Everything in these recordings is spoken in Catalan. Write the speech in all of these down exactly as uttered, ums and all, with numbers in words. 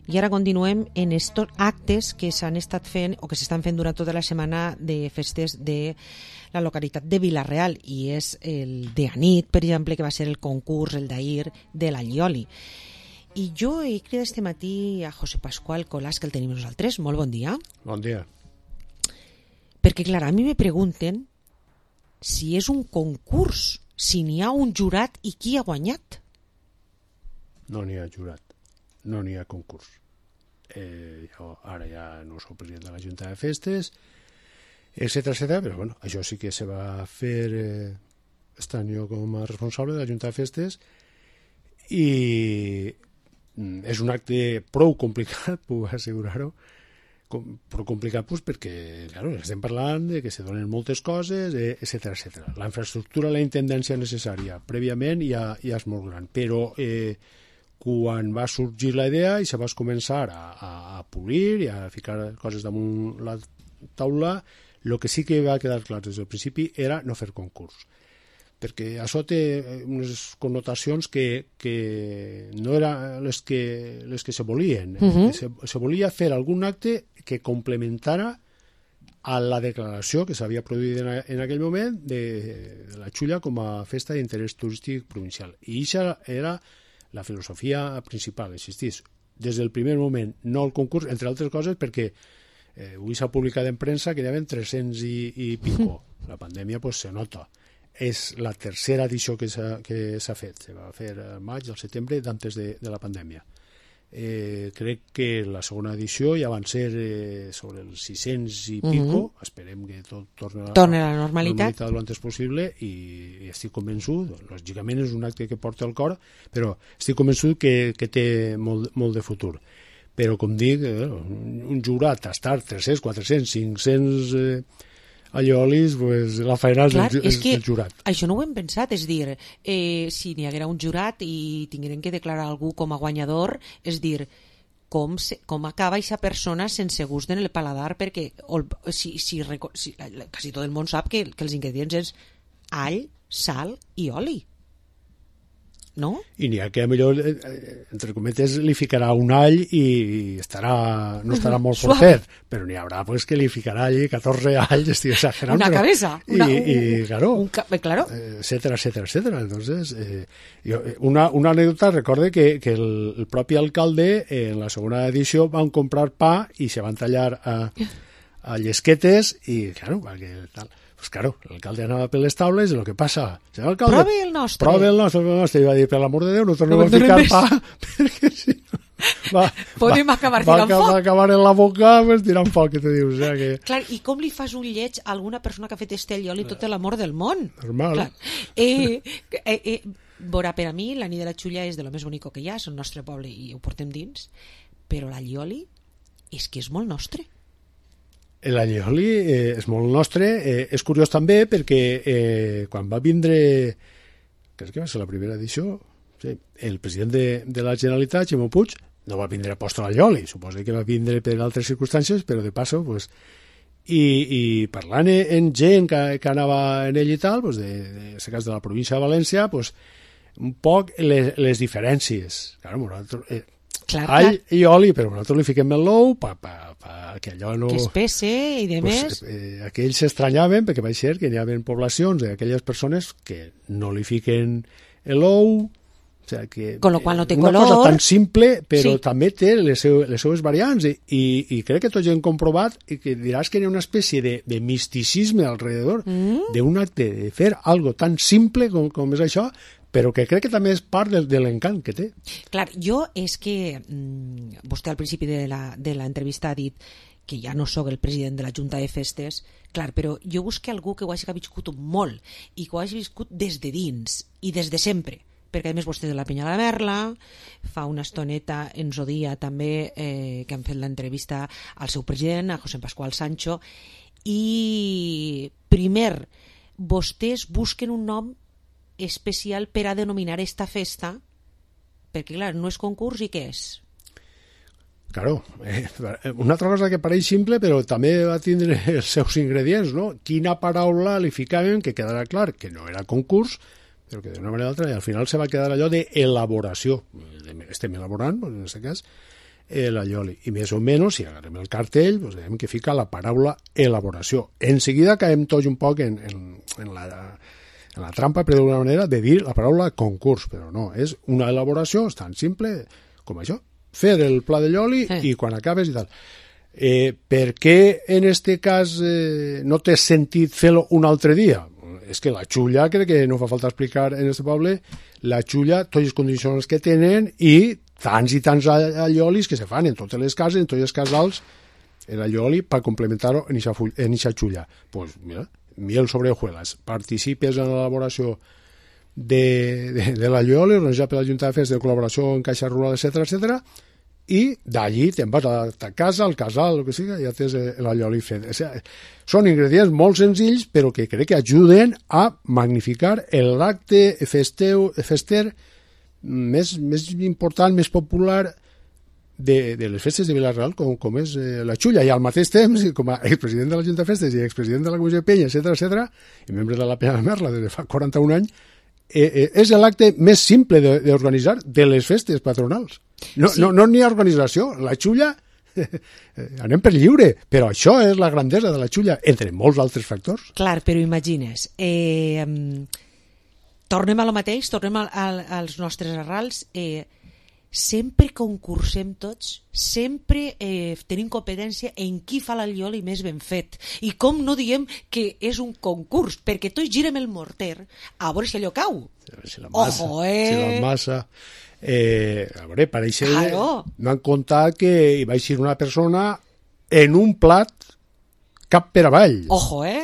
I ara continuem en estos actes que s'han estat fent o que s'estan fent durant tota la setmana de festes de la localitat de Vila-real, i és el de Anit, per exemple, que va ser el concurs, el d'ahir, de l'Allioli. I jo he cridat este matí a José Pascual Colàs, que el tenim nosaltres. Molt bon dia. Bon dia. Perquè, clar, a mi me pregunten si és un concurs, si n'hi ha un jurat i qui ha guanyat. No n'hi ha jurat, no n'hi ha concurs. Eh, jo ara ja no soc president de la Junta de Festes, etcètera, etcètera, però bueno, això sí que se va fer eh, estant jo com a responsable de la Junta de Festes, i és un acte prou complicat, puc assegurar-ho, com, prou complicat pues, perquè claro, estem parlant de que se donen moltes coses, eh, etcètera, etcètera. La infraestructura, la intendència necessària prèviament ja, ja és molt gran, però eh, quan va sorgir la idea i se va començar a, a, a polir i a ficar coses damunt la taula, el que sí que va quedar clar des del principi era no fer concurs, perquè això té unes connotacions que, que no eren les que, les que se volien. Uh-huh. se, se volia fer algun acte que complementara a la declaració que s'havia produït en, en aquell moment de, de la Xulla com a festa d'interès turístic provincial. I això era la filosofia principal, existís des del primer moment, no el concurs, entre altres coses perquè eh, avui s'ha publicat en premsa que hi havia tres-cents i, i pico. La pandèmia pues, se nota. És la tercera edició que s'ha que s'ha fet. Se va fer al maig, al setembre, d'antes de, de la pandèmia. Eh, crec que la segona edició ja van ser eh, sobre els sis-cents i pico. Uh-huh. Esperem que tot torni a, Torna a la normalitat. normalitat el antes possible, i, i estic convençut, lògicament és un acte que porta al cor, però estic convençut que, que té molt, molt de futur. Però, com dic, eh, un jurat a estar tres-cents, quatre-cents, cinc-cents eh, alliolis, pues, la feina Clar, és, és del jurat. Això no ho hem pensat, és dir, eh, si n'hi haguera un jurat i tingueren que declarar algú com a guanyador, és dir, com, se, com acaba aquesta persona sense gust en el paladar, perquè o, si, si, si, quasi tot el món sap que, que els ingredients és all, sal i oli. No? I n'hi ha que, millor, entre cometes, li ficarà un all i estarà, no estarà molt fortet, però n'hi haurà pues, que li ficarà allí catorze alls, estic exagerant. Una cabeza. Una, I, un, i, claro, un, claro. etcétera, etcétera, etcétera. Entonces, eh, jo, una, una anècdota, recorde que, que el, el propi alcalde, eh, en la segona edició, van comprar pa i se van tallar a, a llesquetes i, claro, perquè tal... Pues claro, l'alcalde anava per les taules i el que passa... Senyor alcalde, prove el nostre. Prove el nostre, el nostre. I va dir, per l'amor de Déu, no tornem no a ficar més. Pa, perquè si no... Va, podem va, acabar va, tirant va, foc. Va acabar en la boca pues, tirant foc, que te dius. O sea, que... Clar, i com li fas un lleig a alguna persona que ha fet este allioli tot l'amor del món? Normal. Clar. Eh, eh, eh, Vora, per a mi, la nit de la Xulla és de lo més bonico que hi ha, és el nostre poble i ho portem dins, però l'allioli és que és molt nostre. L'allioli eh, és molt nostre, eh, és curiós també perquè eh, quan va vindre, crec que va ser la primera edició, sí, el president de, de la Generalitat, Ximo Puig, no va vindre a posto l'allioli, suposo que va vindre per altres circumstàncies, però de passo, pues, i, i parlant en gent que, que anava en ell i tal, pues, de, de, en aquest cas de la província de València, pues, un poc les, les diferències. Claro, nosaltres... Eh, Clar, all clar. i oli, però nosaltres li fiquem el l'ou pa, pa, pa, que allò no... Que espesse i de pues, més... Eh, aquells s'estranyaven perquè va ser que hi havia poblacions d'aquelles persones que no li fiquen l'ou, o sea, que con lo qual no té una color. cosa tan simple, però sí. també té les, seu, les seues variants, i, i, i crec que tots hem comprovat i que diràs que hi ha una espècie de, de misticisme alrededor mm. d'un acte de fer algo tan simple com, com és això, però que crec que també és part de, de l'encant que té. Clar, jo és que mmm, vostè al principi de l'entrevista ha dit que ja no sóc el president de la Junta de Festes, clar, però jo busco algú que ho hagi viscut molt i que ho hagi viscut des de dins i des de sempre, perquè a més vostè de la Penya de la Merla, fa una estoneta ens ho dia també eh, que han fet l'entrevista al seu president, a José Pascual Sancho, i primer, vostès busquen un nom especial per a denominar esta festa, perquè clar, no és concurs i què és? Claro, eh, una altra cosa que pareix simple però també va tindre els seus ingredients, no? Quina paraula li ficaven que quedarà clar que no era concurs, però que d'una manera o altra, i al final se va quedar allò d'elaboració. Estem elaborant, en aquest cas, eh, l'allioli. I més o menys, si agarrem el cartell, doncs veiem que fica la paraula elaboració. En seguida caiem tots un poc en, en, en, la, en la trampa, per d'alguna manera, de dir la paraula concurs, però no, és una elaboració tan simple com això. Fer el pla de lloli eh. i quan acabes i tal. Eh, per què en este cas eh, no té sentit fer-lo un altre dia? És que la xulla, crec que no fa falta explicar en este poble, la xulla, totes les condicions que tenen i tants i tants alliolis que se fan en totes les cases, en tots els casals, l'allioli per complementar-ho en aquesta xulla. Doncs pues, mira, miel sobre hojuelas. Participes en l'elaboració de, de, de l'allioli, organitzat per la Junta de Festes de col·laboració en Caixa Rural, etcètera, etcètera, i d'allí te'n vas a ta casa, al casal, el que sigui, ja tens l'allioli fet. O sigui, són ingredients molt senzills, però que crec que ajuden a magnificar l'acte festeu, fester més, més important, més popular de, de les festes de Vila-real, com, com és eh, la xulla. I al mateix temps, com a expresident de la Junta de Festes i expresident de la Comissió de Penya, etcètera, etcètera, i membre de la Penya de Merla des de fa quaranta-un anys, eh, eh, és l'acte més simple d'organitzar de, de les festes patronals. No n'hi sí. no, no ha organització. La xulla, anem per lliure, però això és la grandesa de la xulla, entre molts altres factors. Clar, però imagines, eh, tornem a lo mateix, tornem a, a, als nostres arrals, eh, sempre concursem tots, sempre eh, tenim competència en qui fa l'allioli més ben fet. I com no diem que és un concurs, perquè tots girem el morter a veure si allò cau. Si la massa, Ojo, eh? si la massa... Eh, a veure, pareix claro. No han contat que hi va ser una persona en un plat cap per avall. Ojo, eh?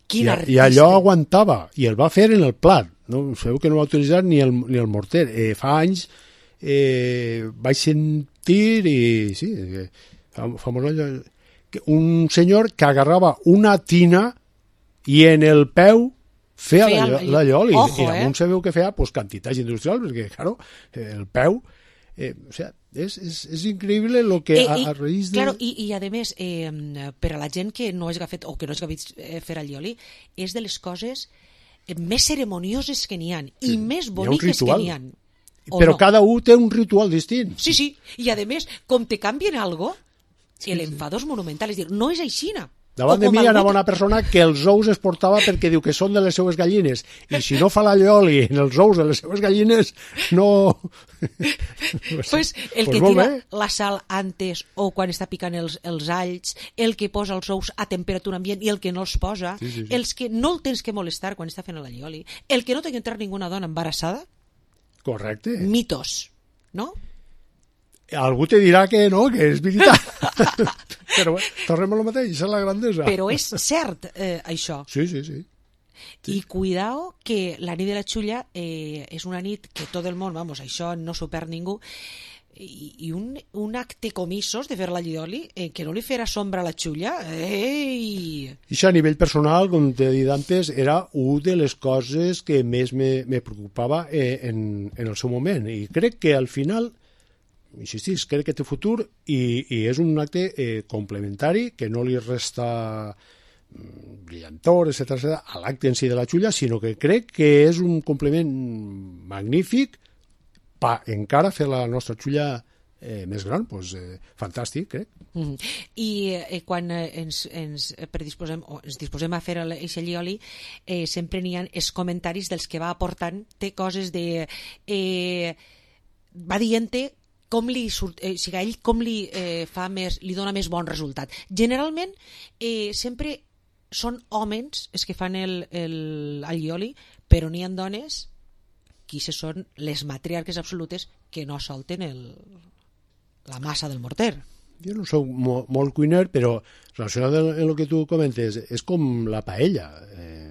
Quin I, artista. I allò aguantava, i el va fer en el plat. No? Sabeu que no va utilitzar ni el, ni el morter. Eh, fa anys eh, vaig sentir, i sí, famós allò, un senyor que agarrava una tina i en el peu feia l'allioli, i damunt eh? Sabeu que feia pues, quantitats industrials, perquè, claro, el peu, eh, o sea, és, és, és increïble el que a, a raïs de... Claro, i, i a més, eh, per a la gent que no hagi fet, o que no hagi vist eh, fer allioli, és de les coses més ceremonioses que n'hi ha, i sí, més boniques que n'hi ha. Però no? cada un té un ritual distint. Sí, sí, i a més, com te canvien algo, sí, l'enfado és monumental, és dir, no és aixina. Davant de mi hi ha una bona persona que els ous es portava perquè diu que són de les seues gallines, i si no fa l'allioli en els ous de les seues gallines, no... pues el pues que tira bé. La sal antes o quan està picant els, els alls, el que posa els ous a temperatura ambient i el que no els posa, sí, sí, sí. Els que no el tens que molestar quan està fent l'allioli, el que no té que entrar ninguna dona embarassada. Correcte. Mitos, no? Algú te dirà que no, que és veritat. Però bé, tornem a lo mateix, és la grandesa. Però és cert, eh, això. Sí, sí, sí. I cuidao que la nit de la xulla eh, és una nit que tot el món, vamos, això no s'ho perd ningú, i, i un, un acte comissos de fer l'allioli eh, que no li farà sombra a la xulla. Ei! I això a nivell personal, com t'he dit antes, era una de les coses que més me, me preocupava eh, en, en el seu moment. I crec que al final... insistís, crec que té futur i, i és un acte eh, complementari que no li resta brillantor, etcètera, etcètera, a l'acte en si de la xulla, sinó que crec que és un complement magnífic per encara fer la nostra xulla eh, més gran, doncs, eh, fantàstic, crec. Mm. I eh, quan eh, ens, ens, predisposem, o ens disposem a fer aquest allioli, eh, sempre n'hi ha els comentaris dels que va aportant, té coses de... Eh, va dient-te com li surt, eh, si a ell com li eh, fa més, li dona més bon resultat. Generalment eh, sempre són homes els que fan el, el allioli, però n'hi ha dones qui se són les matriarques absolutes que no solten el, la massa del morter. Jo no soc mo, molt cuiner, però relacionat amb el que tu comentes, és com la paella. Eh,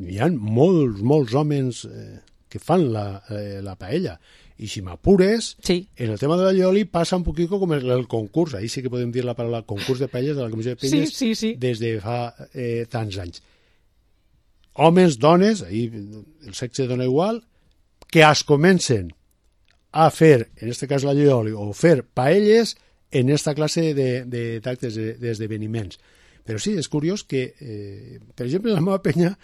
hi ha molts, molts homes eh, que fan la, eh, la paella. I si m'apures, sí. En el tema de l'allioli passa un poquito com el, el concurs. Ahí sí que podem dir la paraula concurs de paelles de la Comissió de Penyes sí, sí, sí. des de fa eh, tants anys. Homes, dones, ahí el sexe dona igual, que es comencen a fer, en este cas l'allioli, o fer paelles en esta classe d'actes, de, d'esdeveniments. Però sí, és curiós que, eh, per exemple, en la meva penya,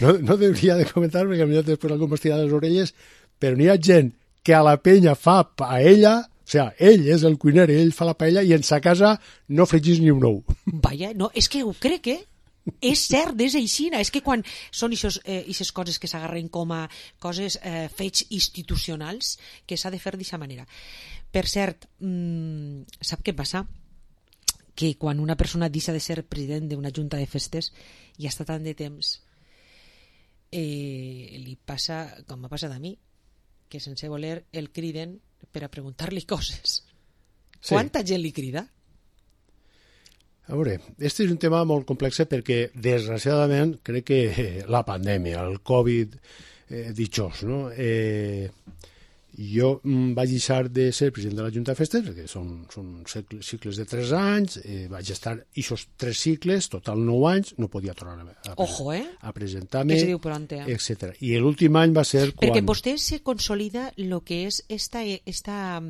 no, no hauria de comentar, perquè potser després algú m'estirà les orelles, però n'hi ha gent que a la penya fa paella O sigui, ell és el cuiner, ell fa la paella i en sa casa no fregís ni un ou. Vaja, no, és que ho crec, eh? És cert, és aixina. És que quan són aquestes eh, coses que s'agarren com a coses, eh, fets institucionals, que s'ha de fer d'aquesta manera. Per cert, mmm, sap què passa? Que quan una persona deixa de ser president d'una junta de festes i està tant de temps, eh, li passa com m'ha passat a mi, que sense voler el criden per a preguntar-li coses. Sí. Quanta gent li crida? A veure, este és un tema molt complex perquè, desgraciadament, crec que la pandèmia, el Covid, eh, ditxós, no? Eh, jo vaig deixar de ser president de la Junta de Festes, perquè són, són cicles de tres anys, eh, vaig estar aquests tres cicles, total nou anys, no podia tornar a, a, Ojo, eh? a presentar-me, eh? etcètera. I l'últim any va ser quan... Perquè vostè se consolida el que és esta... esta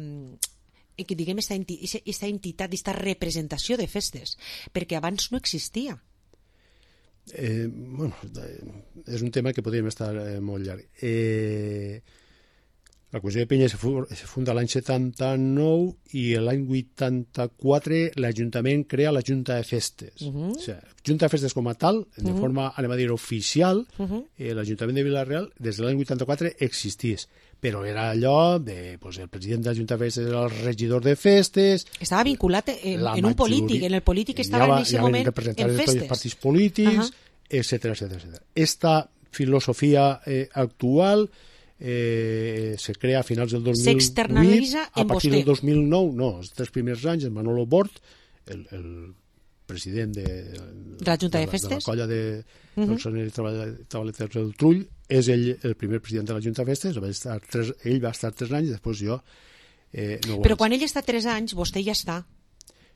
que diguem esta, enti esta entitat, esta representació de festes, perquè abans no existia. Eh, bueno, és un tema que podríem estar eh, molt llarg. Eh, la Comissió de Penya se funda l'any setanta-nou i l'any vuitanta-quatre l'Ajuntament crea la Junta de Festes. Uh -huh. O sigui, Junta de Festes com a tal, de uh -huh. forma, anem a dir, oficial, uh -huh. eh, l'Ajuntament de Vila-real des de l'any vuitanta-quatre existís. Però era allò de, pues, el president de la Junta de Festes era el regidor de festes... Estava vinculat en, en un polític, en el polític estava en aquest moment en festes. Tots els partits polítics, uh -huh. etcètera, etcètera, etcètera. Esta filosofia eh, actual eh, se crea a finals del dos mil vuit, s'externalitza en a partir vostè. del dos mil nou, no, els tres primers anys, en Manolo Bort, el, el president de, de la Junta de, de Festes, de la colla de uh -huh. treballadors del Trull, és ell el primer president de la Junta de Festes, va estar tres, ell va estar tres anys, després jo eh, no Però quan ell està tres anys, vostè ja està.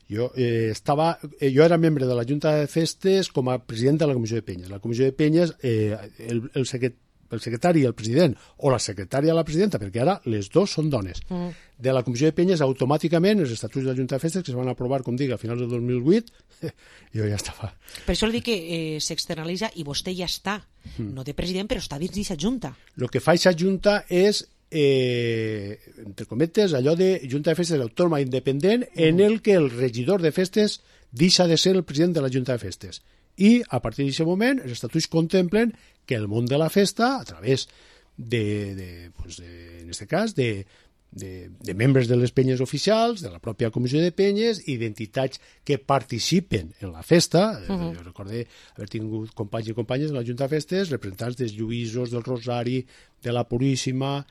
Jo, eh, estava, eh, jo era membre de la Junta de Festes com a president de la Comissió de Penyes. La Comissió de Penyes, eh, el, el, secret, el secretari i el president, o la secretària i la presidenta, perquè ara les dos són dones. Mm. De la Comissió de Penyes, automàticament, els estatuts de la Junta de Festes, que es van aprovar, com dic, a finals del dos mil vuit, jo ja estava. Per això li dic que eh, s'externalitza i vostè ja està, mm. no de president, però està dins d'aquesta Junta. El que fa aquesta Junta és, eh, entre cometes, allò de Junta de Festes autònoma independent, mm. en el que el regidor de festes deixa de ser el president de la Junta de Festes. I, a partir d'aquest moment, els estatuts contemplen que el món de la festa, a través de, de, pues de en aquest cas, de, de, de membres de les penyes oficials, de la pròpia Comissió de Penyes i d'entitats que participen en la festa. Uh -huh. Jo recordé haver tingut companys i companyes de la Junta de Festes, representants dels Lluïsos, del Rosari, de la Puríssima,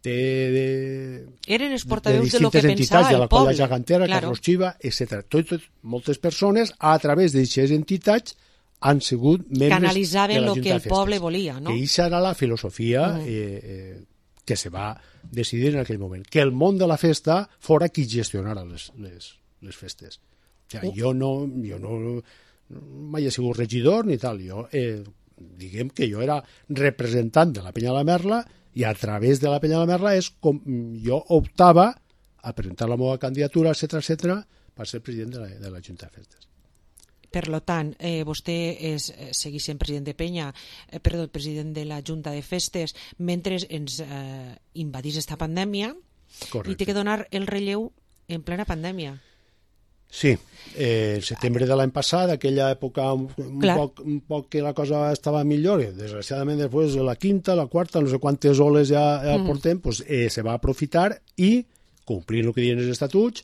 de, de, eren els portaveus de, de lo que entitats, pensava de la el poble. Colla Gegantera, claro. Carlos Chiva, etcètera. Tot, tot, moltes persones, a través d'aquestes entitats, han sigut membres canalitzaven de la el Junta que de el Festes. poble volia, no? Que aquesta era la filosofia uh -huh. eh, eh, que se va decidir en aquell moment. Que el món de la festa fora qui gestionara les, les, les festes. O sigui, uh. jo no, jo no mai he sigut regidor ni tal. Jo, eh, diguem que jo era representant de la Penya de la Merla i a través de la Penya de la Merla és com jo optava a presentar la meva candidatura, etcètera, etcètera, per ser president de la, de la Junta de Festes. Per lo tant, eh, vostè és, eh, segueix sent president de Penya, eh, perdó, president de la Junta de Festes, mentre ens eh, invadís esta pandèmia. Correcte. I té que donar el relleu en plena pandèmia. Sí, eh, el setembre de l'any passat, aquella època un, un, poc, un poc que la cosa estava millor, i desgraciadament després de la quinta, la quarta, no sé quantes oles ja, ja mm. portem, pues, eh, se va aprofitar i, complint el que diuen els estatuts,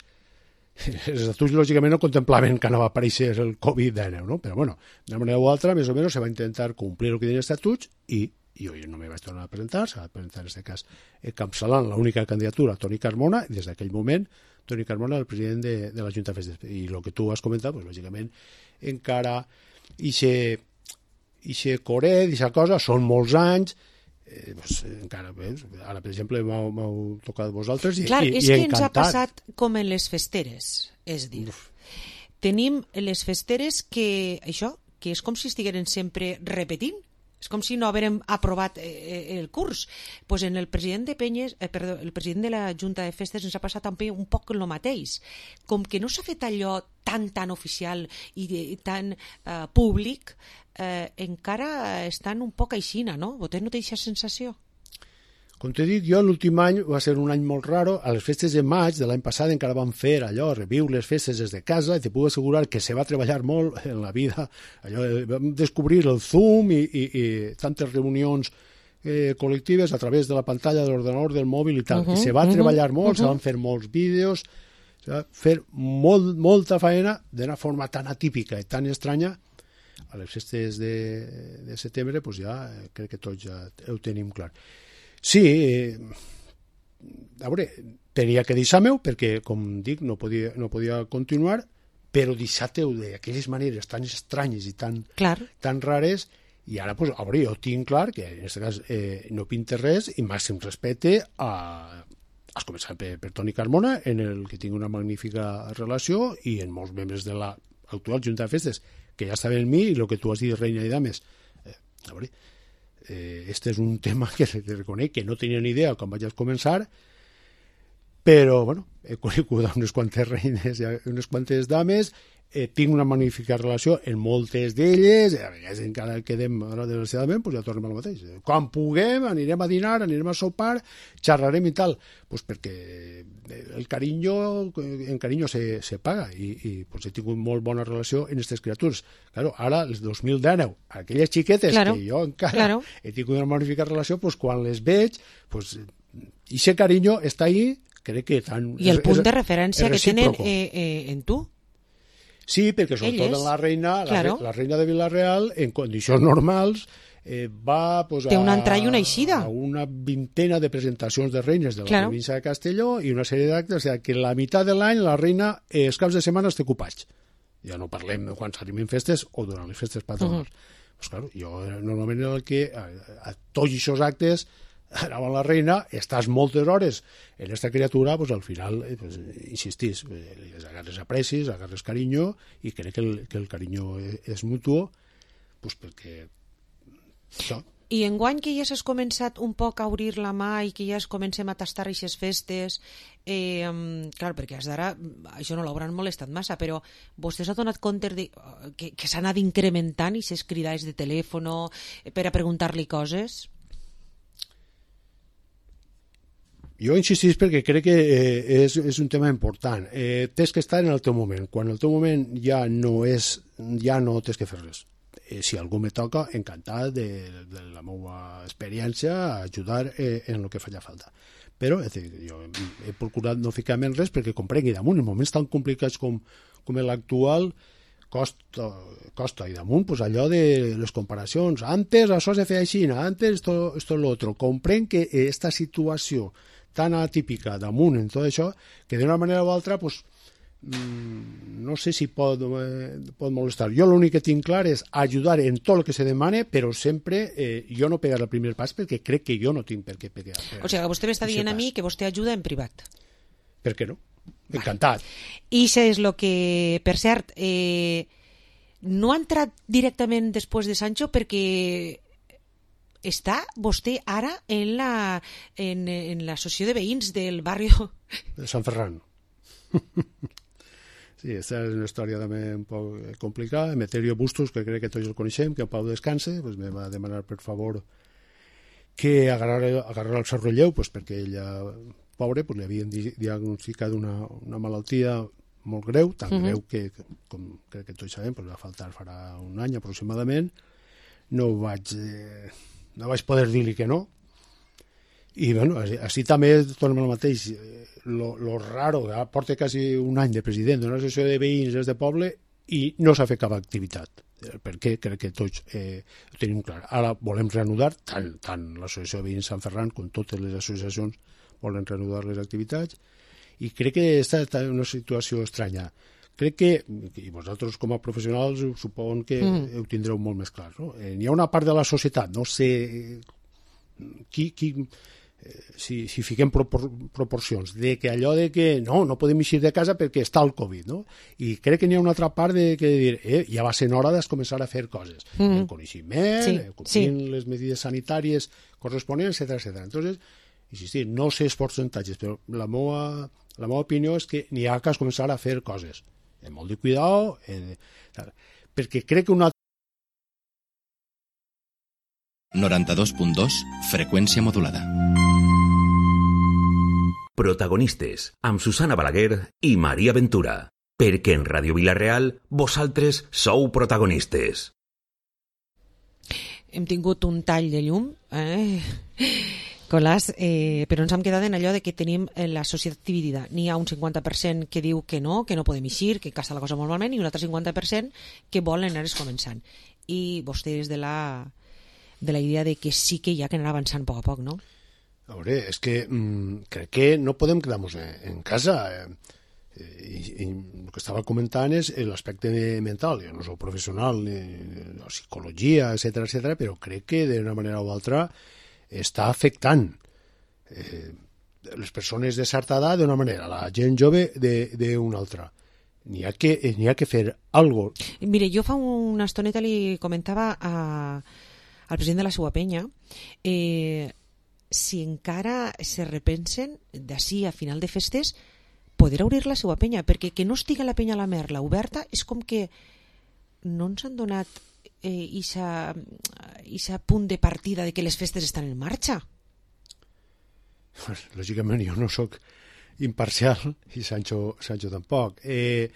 els estatuts lògicament no contemplaven que anava a aparèixer el covid dinou, no? Però bueno, d'una manera o altra, més o menys, se va intentar complir el que diuen els estatuts i jo no me vaig tornar a presentar, s'ha de presentar en aquest cas encapçalant l'única candidatura, Toni Carmona, i des d'aquell moment Toni Carmona, el president de, de la Junta de Festes. I el que tu has comentat, pues, lògicament, encara ixe, ixe coret, ixa cosa, són molts anys, eh, pues, encara, eh, ara, per exemple, m'heu tocat vosaltres i, Clar, i, és i que encantat. ens ha passat com en les festeres, és dir, Uf. tenim les festeres que, això, que és com si estigueren sempre repetint, és com si no haguérem aprovat eh, el curs. Pues en el president de Penyes, eh, perdó, el president de la Junta de Festes ens ha passat també un poc el mateix. Com que no s'ha fet allò tan, tan oficial i de, tan eh, públic, eh, encara estan un poc aixina, no? Vostè no té aquesta sensació? Com te dic, jo l'últim any va ser un any molt raro. A les festes de maig de l'any passat encara vam fer allò, reviure les festes des de casa, i te puc assegurar que se va treballar molt en la vida. Allò, vam descobrir el Zoom i, i, i tantes reunions eh, col·lectives a través de la pantalla de l'ordenador, del mòbil i tal. Uh -huh, I se va uh -huh, treballar molt, uh -huh. se van fer molts vídeos, se va fer molt, molta faena d'una forma tan atípica i tan estranya. A les festes de, de setembre pues ja eh, crec que tots ja ho tenim clar. Sí, eh, a veure, tenia que deixar-me-ho perquè, com dic, no podia, no podia continuar, però deixar-te-ho d'aquelles maneres tan estranyes i tan, tan rares, i ara, pues, a veure, jo tinc clar que en aquest cas eh, no pinta res i màxim respecte a... Has començat per, per Toni Carmona, en el que tinc una magnífica relació, i en molts membres de l'actual Junta de Festes, que ja estaven en mi, i el que tu has dit, reina i dames. Eh, a veure, eh, este és un tema que te reconec que no tenia ni idea quan vaig començar, però, bueno, he conegut unes quantes reines i unes quantes dames, eh, tinc una magnífica relació en moltes d'elles, a vegades encara quedem, ara desgraciadament, pues ja tornem al mateix. Quan puguem, anirem a dinar, anirem a sopar, xerrarem i tal, pues perquè el carinyo, en carinyo se, se paga, i, i pues he tingut molt bona relació en aquestes criatures. Claro, ara, el dos mil dinou, aquelles xiquetes claro, que jo encara claro. he tingut una magnífica relació, pues quan les veig, pues, i ese carinyo està ahí, crec que tan... I el és, punt de referència que tenen eh, eh, en tu? Sí, perquè sobretot la reina, claro. la, la reina de Vila-real, en condicions normals, eh, va pues, té una entrada i una eixida. A una vintena de presentacions de reines de la claro. província de Castelló i una sèrie d'actes, o sigui, que la meitat de l'any la reina, eh, els caps de setmana està ocupats. Ja no parlem quan s'arriben festes o durant les festes patronals. Uh -huh. Pues, claro, jo normalment era el que a, a tots aquests actes anava la reina, estàs moltes hores en aquesta criatura, pues, al final eh, pues, insistís, eh, les agarres aprecis, agarres carinyo, i crec que el, que el carinyo és, és mutuo, pues, perquè això. I enguany que ja s'has començat un poc a obrir la mà i que ja es comencem a tastar aquestes festes, eh, clar, perquè fins d'ara això no l'hauran molestat massa, però vostè s'ha donat compte de, que, que s'ha anat incrementant aquestes cridades de telèfon per a preguntar-li coses? Jo insistís perquè crec que eh, és, és un tema important. Eh, tens que estar en el teu moment. Quan el teu moment ja no és, ja no tens que fer res. Eh, si algú me toca, encantat de, de la meva experiència a ajudar eh, en el que faci falta. Però és dir, jo he procurat no ficar-me en res perquè comprengui damunt, en moments tan complicats com, com l'actual, costa, costa. I damunt, pues, allò de les comparacions. Antes això se feia així, antes esto, esto lo otro. Comprenc que esta situació tan atípica damunt en tot això, que d'una manera o altra, pues, mmm, no sé si pot, eh, pot molestar. Jo l'únic que tinc clar és ajudar en tot el que se demane, però sempre eh, jo no pegar el primer pas perquè crec que jo no tinc per què pegar. O sigui, vostè m'està dient a mi que vostè ajuda en privat. Per què no? Encantat. I això és el que, per cert, eh, no ha entrat directament després de Sancho perquè està vostè ara en la en, en l'associació de veïns del barri de Sant Ferran. Sí, aquesta és una història també un poc complicada. Emeterio Bustos, que crec que tots el coneixem, que en pau descanse, pues me va demanar per favor que agarrara, agarrara el seu relleu, pues perquè ella, pobre, pues li havien diagnosticat una, una malaltia molt greu, tan uh -huh. greu que, com crec que tots sabem, pues va faltar farà un any aproximadament. No vaig... Eh, no vaig poder dir-li que no, i bueno, així, així també tornem al mateix, lo, lo raro, que porta quasi un any de president d'una associació de veïns des de poble i no s'ha fet cap activitat, perquè crec que tots eh, ho tenim clar. Ara volem reanudar, tant, tant l'associació de veïns Sant Ferran com totes les associacions volen reanudar les activitats, i crec que està en una situació estranya. Crec que, i vosaltres com a professionals suposo que mm. ho tindreu molt més clar, no? Eh, hi ha una part de la societat, no sé qui, qui eh, si, si fiquem propor, proporcions, de que allò de que no, no podem eixir de casa perquè està el Covid, no? I crec que n'hi ha una altra part de que dir, eh, ja va ser hora de començar a fer coses, mm. el coneixement, sí, eh, complint sí. les mesures sanitàries corresponents, etcètera, etcètera. Entonces, insistir, no sé els percentatges, però la meva, la meva opinió és que n'hi ha que començar a fer coses. Amb molt de cuidado, eh, perquè crec que una... noranta-dos punt dos, freqüència modulada. Protagonistes, amb Susana Balaguer i Maria Ventura. Perquè en Ràdio Vila-real vosaltres sou protagonistes. Hem tingut un tall de llum, eh? Colàs, eh, però ens hem quedat en allò de que tenim la societat dividida. N'hi ha un cinquanta per cent que diu que no, que no podem eixir, que casa la cosa molt malament, i un altre cinquanta per cent que volen anar començant. I vostès de la, de la idea de que sí que hi ha que anar avançant a poc a poc, no? A veure, és que mm, crec que no podem quedar-nos en, en casa. Eh, i, i el que estava comentant és l'aspecte mental. Jo no soc professional, ni la psicologia, etcètera, etcètera, però crec que d'una manera o altra està afectant eh, les persones de certa edat d'una manera, la gent jove d'una altra. N'hi ha, que, n'hi ha que fer alguna cosa. Mire, jo fa una estoneta li comentava a, al president de la seua penya eh, si encara se repensen d'ací a final de festes poder obrir la seua penya, perquè que no estigui la penya a la Merla oberta és com que no ens han donat eh, ixa, ixa punt de partida de que les festes estan en marxa. Lògicament jo no sóc imparcial i Sancho, Sancho tampoc. Eh,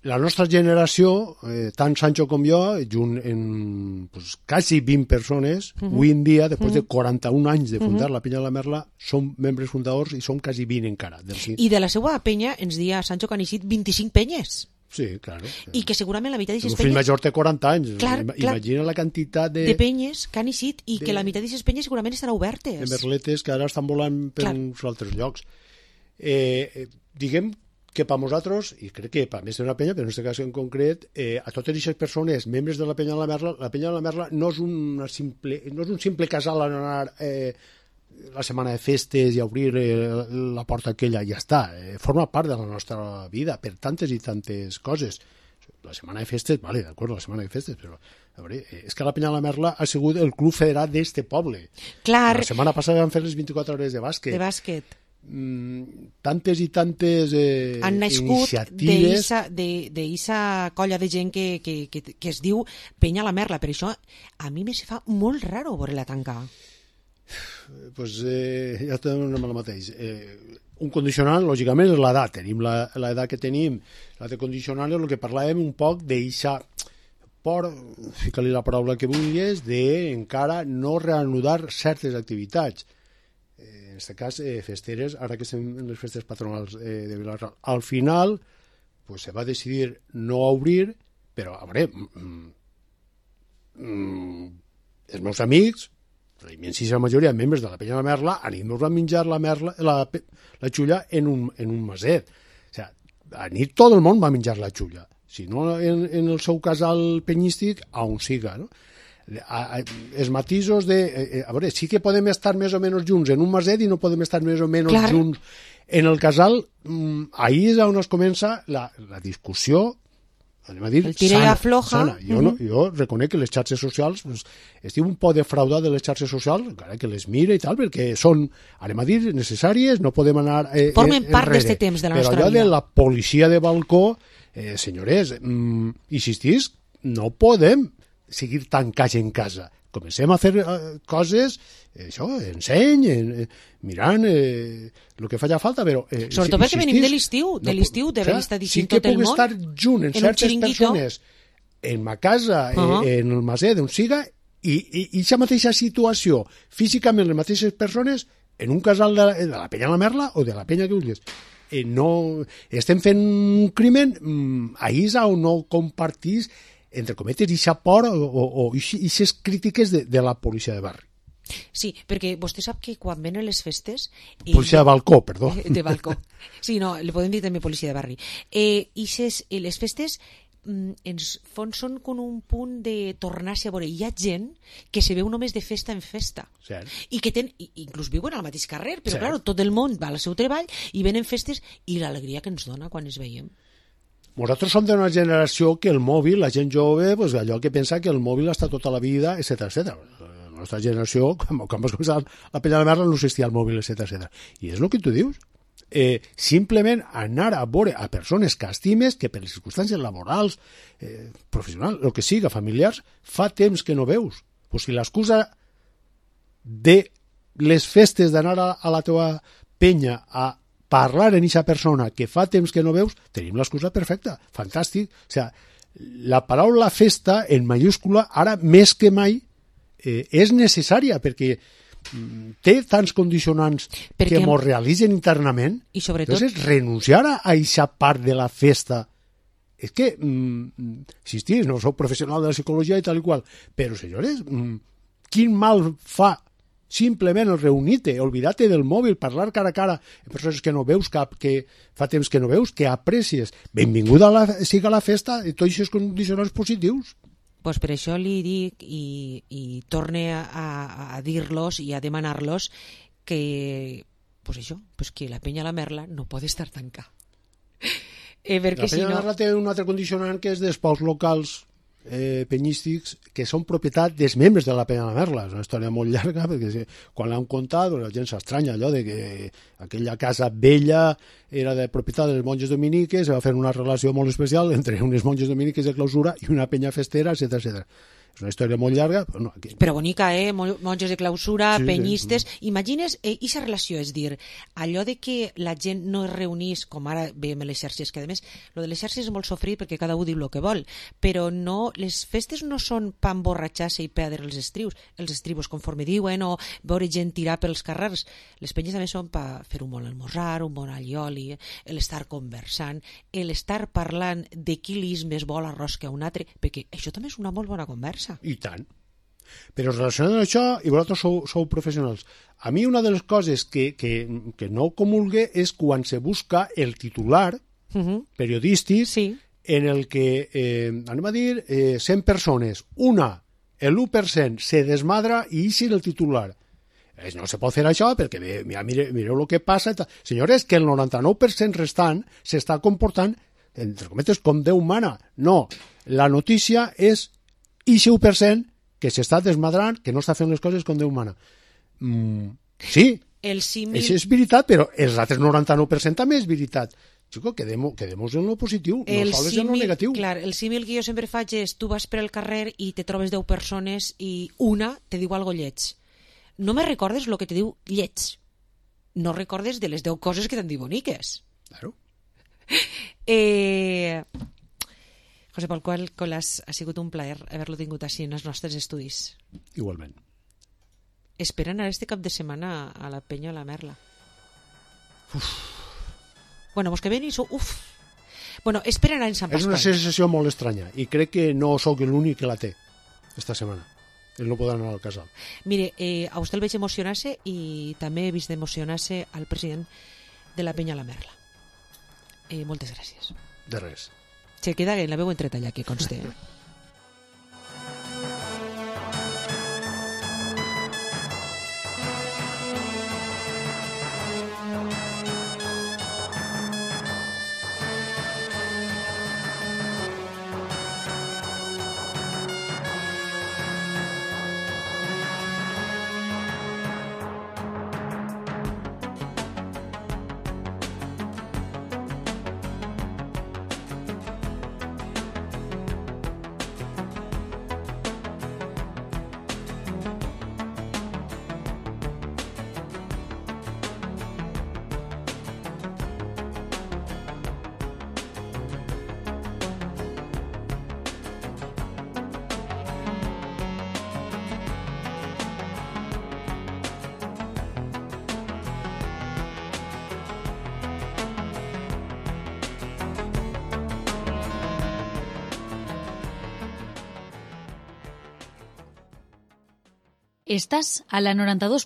la nostra generació, eh, tant Sancho com jo, junt en pues, quasi vint persones, uh-huh. avui en dia, després uh-huh. de quaranta-un anys de fundar uh-huh. la Penya de la Merla, som membres fundadors i som quasi vint encara. Del... I de la seva penya ens dia Sancho que han eixit vint-i-cinc penyes. Sí, claro. I que segurament la meitat d'aquestes penyes... El fill major té quaranta anys. Clar, Imagina clar, la quantitat de... de penyes que han eixit i de... que la meitat d'aquestes penyes segurament estan obertes. De merletes que ara estan volant per clar. Uns altres llocs. Eh, diguem que per nosaltres, i crec que per més d'una penya, però en aquest cas en concret, eh, a totes aquestes persones, membres de la Penya de la Merla, la Penya de la Merla no és, una simple, no és un simple casal a anar eh, la setmana de festes i obrir eh, la porta aquella i ja està. Eh, forma part de la nostra vida per tantes i tantes coses. La setmana de festes, vale, d'acord, la setmana de festes, però a veure, és que la Penya de la Merla ha sigut el club federat d'este poble. Clar. La setmana passada vam fer les vint-i-quatre hores de bàsquet. De bàsquet. Mm, tantes i tantes eh, han nascut iniciatives d'eixa colla de gent que, que, que, que es diu Penya la Merla. Per això a mi me se fa molt raro veure-la tancar. Pues eh, ja tenim el mateix. Eh, un condicional, lògicament, és l'edat. Tenim l'edat que tenim. L'edat condicional és el que parlàvem un poc d'eixa por, fica-li la paraula que vulguis, d'encara no reanudar certes activitats. En aquest cas, eh, festeres, ara que estem en les festes patronals eh, de Vila-real. Al final, pues, se va decidir no obrir, però, a veure, mm, mm, els meus amics, la immensíssima majoria de membres de la Penya de la Merla, anem a menjar la, merla, la, la xulla en un, en un maset. O sigui, a nit tot el món va menjar la xulla. Si no en, en el seu casal penyístic, a on siga, no? A, a, els matisos de... Eh, a veure, sí que podem estar més o menys junts en un maset i no podem estar més o menys clar. Junts en el casal. Mm, ahí és on es comença la, la discussió, anem a dir, el tira sana, afloja. Sana. Jo, uh-huh. no, jo reconec que les xarxes socials, pues, estic un poc defraudat de les xarxes socials, encara que les mire i tal, perquè són, anem a dir, necessàries, no podem anar eh, formen enrere. Part d'este temps de la però nostra vida. Però allò de la policia de balcó, eh, senyores, mm, insistís, no podem seguir tancats en casa. Comencem a fer eh, coses, eh, això, enseny, eh, mirant eh, el que faci falta, però... Eh, sobretot si, perquè venim de l'estiu, de l'estiu, d'haver estat dient tot el món. Sí que puc estar junt en, en certes persones, en ma casa, uh-huh. eh, en el maset, on siga, i aquesta mateixa situació, físicament les mateixes persones, en un casal de, de la Penya de la Merla o de la Penya que vulguis. Eh, no, estem fent un crimen, mm, ahir és on no compartís entre cometes, ixa por o ixes crítiques de, de la policia de barri. Sí, perquè vostè sap que quan venen les festes... Policia de balcó, perdó. De balcó. Sí, no, li podem dir també policia de barri. Eh, ixes, eh, les festes mm, ens fons són com un punt de tornar-se a veure. Hi ha gent que se veu només de festa en festa. Cert. I que ten, i, inclús viuen al mateix carrer, però clar, tot el món va al seu treball i venen festes i l'alegria que ens dona quan es veiem. Nosaltres som d'una generació que el mòbil, la gent jove, pues, allò que pensa que el mòbil està tota la vida, etcètera, etcètera. La nostra generació, quan, quan vas començar a Penya de la Merla, no existia el mòbil, etcètera, etcètera. I és el que tu dius. Eh, simplement anar a veure a persones que estimes, que per les circumstàncies laborals, eh, professionals, el que siga, familiars, fa temps que no veus. Pues si l'excusa de les festes d'anar a, a la teva penya a parlar en aquesta persona que fa temps que no veus, tenim l'excusa perfecta, fantàstic. O sigui, la paraula festa en mayúscula ara més que mai eh, és necessària perquè té tants condicionants perquè que mos realitzen internament. I sobretot... Entonces, renunciar a aquesta part de la festa és que, mm, insistís, no soc professional de la psicologia i tal i qual, però, senyores, mm, quin mal fa simplement el reunir-te, oblidar-te del mòbil, parlar cara a cara amb persones que no veus, cap, que fa temps que no veus, que aprecies. Benvinguda a la, siga la festa i tots aquests condicionants positius. Pues per això li dic i, i torne a, a, a dir-los i a demanar-los que, pues això, pues que la penya La Merla no pot estar tancada. Eh, perquè la penya si no... La Merla té un altre condicionant que és dels pocs locals eh, penyístics que són propietat dels membres de la penya La Merla. És una història molt llarga perquè si, quan l'han contat la gent s'estranya allò de que aquella casa vella era de propietat dels monges dominiques, va fer una relació molt especial entre unes monges dominiques de clausura i una penya festera, etcètera, etcètera. És una història molt llarga. Però, no, aquí... però bonica, eh? Monges de clausura, sí, penyistes... Sí. Imagines aquesta eh, relació, és dir, allò de que la gent no es reunís, com ara veiem a les xarxes, que a més, lo de les xarxes és molt sofrit perquè cada un diu el que vol, però no, les festes no són pa emborratxar-se i perdre els estrius, els estribos conforme diuen, o veure gent tirar pels carrers. Les penyes també són per fer un bon almorzar, un bon allioli, l'estar conversant, l'estar parlant de qui lis més vol arròs que un altre, perquè això també és una molt bona conversa. I tant. Però relacionant amb això, i vosaltres sou, sou professionals, a mi una de les coses que, que, que no comulgue és quan se busca el titular uh-huh. periodístic sí. en el que, eh, anem a dir, eh, cent persones, una, l'u per cent, se desmadra i ixi el titular. No se pot fer això perquè mira, mire, mireu el que passa. Senyores, que el noranta-nou per cent restant s'està comportant, entre cometes, com Déu mana. No, la notícia és ixe u per cent que s'està desmadrant, que no està fent les coses com Déu mana. Mm, sí, el símil... això és veritat, però els altres noranta-nou per cent també és veritat. Xico, quedem-nos quedem en lo positiu, el no sols símil, en lo negatiu. Clar, el símil que jo sempre faig és tu vas per el carrer i te trobes deu persones i una te diu algo lleig. No me recordes el que te diu lleig. No recordes de les deu coses que t'han dit boniques. Claro. Eh... José Pol Colas, ha sigut un plaer haver-lo tingut així en els nostres estudis. Igualment. Esperen ara este cap de setmana a la penya La Merla. Uf. Bueno, vos que ven i sou... Uf. Bueno, esperen ara en Sant Pasqual. És una sensació molt estranya i crec que no sóc l'únic que la té esta setmana. Ells no poden anar al casal. Mire, eh, a vostè el veig emocionar-se i també he vist emocionar-se al president de la penya La Merla. Eh, moltes gràcies. De res. Se queda en la veu entretalla, que conste. Estás a la noranta dos